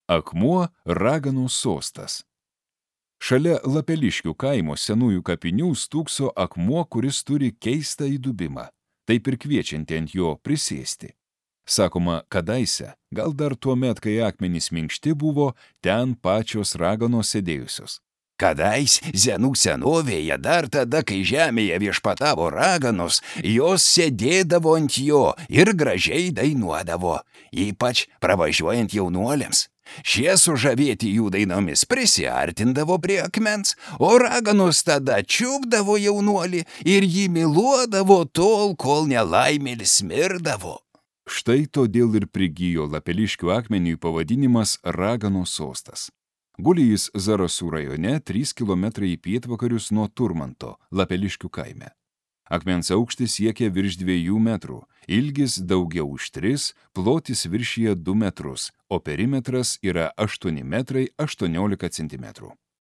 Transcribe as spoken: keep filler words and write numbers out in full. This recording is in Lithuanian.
Akmuo raganos sostas. Šalia Lapeliškių kaimo senųjų kapinių stūkso akmuo, kuris turi keistą įdubimą, taip ir kviečianti ant jo prisėsti. Sakoma, kadaise, gal dar tuo met, kai akmenys minkšti buvo, ten pačios raganos sėdėjusios. Kadais senų senovėje, dar tada, kai žemėje viešpatavo raganos, jos sėdėdavo ant jo ir gražiai dainuodavo, ypač pravažiuojant jaunuoliams. Šie sužavėti jų dainomis prisiartindavo prie akmens, o raganos tada čiupdavo jaunuolį ir jį myluodavo tol, kol nelaimėlis mirdavo. Štai todėl ir prigijo Lapeliškių akmeniui pavadinimas Raganos sostas. Guli jis Zarasų rajone trys kilometrai į pietvakarius nuo Turmanto, Lapeliškių kaime. Akmens aukštis siekia virš dviejų metrų, ilgis daugiau už tris, plotis viršyje du metrus, o perimetras yra aštuoni metrai aštuoniolika centimetrų.